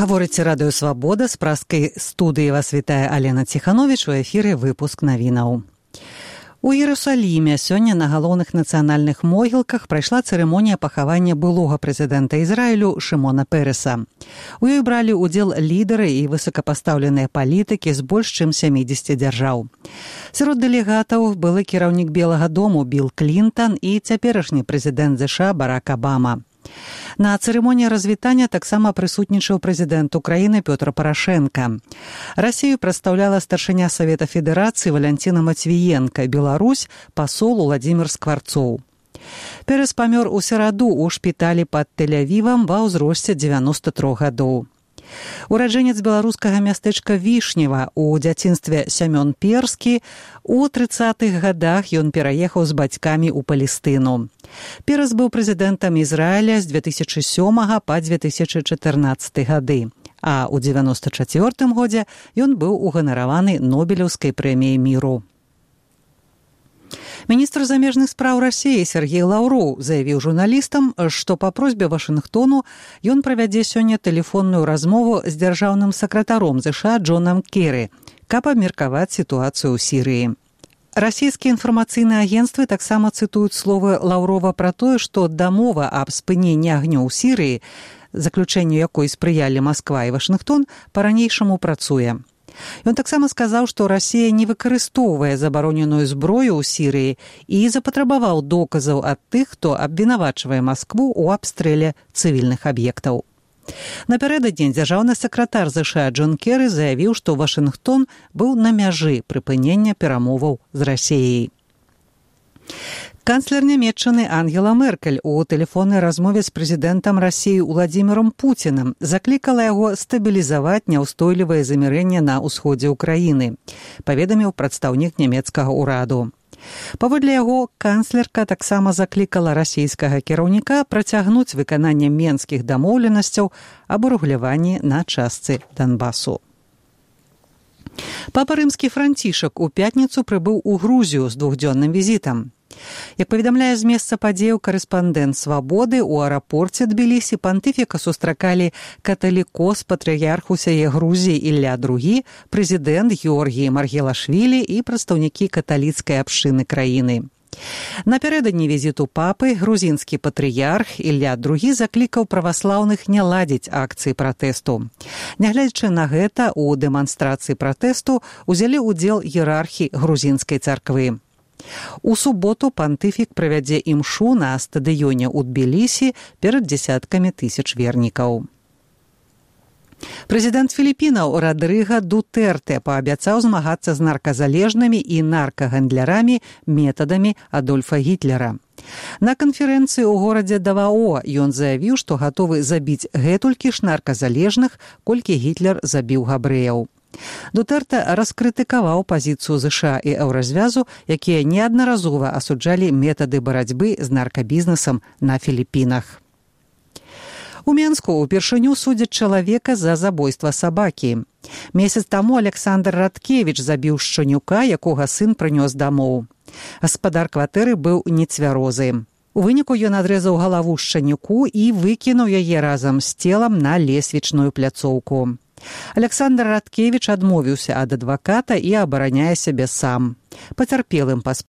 Гаворыце радыё «Свабода», з праскай студыі вас вітае Алена Ціхановіч, у эфіры выпуск навінаў. У Іерусаліме сёння на галоўных нацыянальных могілках прайшла цырымонія пахавання былога прэзідэнта Ізраілю Шымона Переса. У ёй бралі ўдзел лідары і высокапастаўленыя палітыкі з больш чым 70 дзяржаў. Сярод дэлегатаў былы кіраўнік Белага дому Білл Клінтан і цяперашні прэзідэнт ЗША Барак Абама. На цырымоніі развітання таксама прысутнічаў прэзідэнт Украіны Пётр Парашенка. Расію прадстаўляла старшыня Савета Федэрацыі Валянціна Мацвіенка, Беларусь пасол Уладзімір Скварцоў. Перес памёр у сераду ў шпіталі пад Тель-Авівам ва ўзросце 93 гадоў. Ураджэнец беларускага мястэчка Вішнева у дзяцінстве Сямён Перскі. У 30-х гадах ён пераехаў з бацькамі ў Палестыну. Перес быў прэзідэнтам Ізраіля з 2007 па 2014 гады, а ў 1994 годзе ён быў уганараваны Нобелеўскай прэміяй міру. Міністр замежных спраў Расіі Сергей Лаўроў заявіў журналістам, што па просьбе Вашынгтону ён правядзе сёння тэлефонную размову з дзяржаўным сакратаром ЗША Джонам Керры, каб абмеркаваць сітуацыю ў Сірыі. Расійскія інфармацыйныя агенцтвы таксама цытуюць словы Лаўрова пра тое, што дамова аб спыненні агню ў Сірыі, заключэнню якой спрыялі Масква і Вашынгтон, па-ранейшаму працуе. Ён таксама сказаў, што Расія не выкарыстоўвае забароненую зброю ў Сірыі і запатрабаваў доказаў ад тых, хто абвінавачвае Маскву ў абстрэле цывільных аб'ектаў. Напярэдадні дзяржаўны сакратар ЗША Джон Керры заявіў, што Вашынгтон быў на мяжы прыпынення перамоваў з Расіяй. Канцлер Нямецчыны Ангела Меркель у тэлефоннай размове з прэзідэнтам Расіі Уладзімірам Пуцінам заклікала яго стабілізаваць няўстойлівае замірэнне на ўсходзе ўкраіны, паведаміў прадстаўнік нямецкага ўраду. Паводле яго, канцлерка таксама заклікала расійскага кіраўніка працягнуць выкананне менскіх дамоўленасцяў аб урэгуляванні на частцы Донбасу. Папа рымскі Францішак у пятніцу прыбыў у Грузію з двухдзённым візітам. Як паведамляе з месца падзеяў карэспандэнт «Свабоды», у аэрапорце Тбілісі пантыфіка сустракалі каталікос патрыярх усяе Грузіі Ілля II, прэзідэнт Георгій Маргелашвілі і прадстаўнікі каталіцкай абшчыны краіны. Напярэдадні візіту папы грузінскі патрыярх Ілля II заклікаў праваслаўных не ладзіць акцыі пратэсту. Нягледзячы на гэта, у дэманстрацыі пратэсту узялі ўдзел іерархі грузінскай царквы. У суботу пантыфік правядзе імшу на стадыёне ў Тбілісі перад дзесяткамі тысяч вернікаў. Прэзідэнт Філіпінаў Радрыга Дутэртэ паабяцаў змагацца з нарказалежнымі і наркагандлярамі метадамі Адольфа Гітлера. На канферэнцыі ў горадзе Давао ён заявіў, што гатовы забіць гэтулькі ж нарказалежных, колькі Гітлер забіў габрэяў. Дутэртэ раскрытыкаваў пазіцыю ЗША і Еўразвязу, якія неаднаразова асуджалі метады барацьбы з наркабізнесам на Філіпінах. У Менску ўпершыню судзяць чалавека за забойства сабакі. Месяц таму Александр Радкевіч забіў шчанюка, якога сын прынёс дамоў. Гаспадар кватэры быў нецвярозы. У выніку ён адрэзаў галаву шчанюку і выкінуў яе разам з целам на лесвічную пляцоўку. Александр Радкевіч адмовіўся ад адваката і абараняе сябе сам. Пацярпелым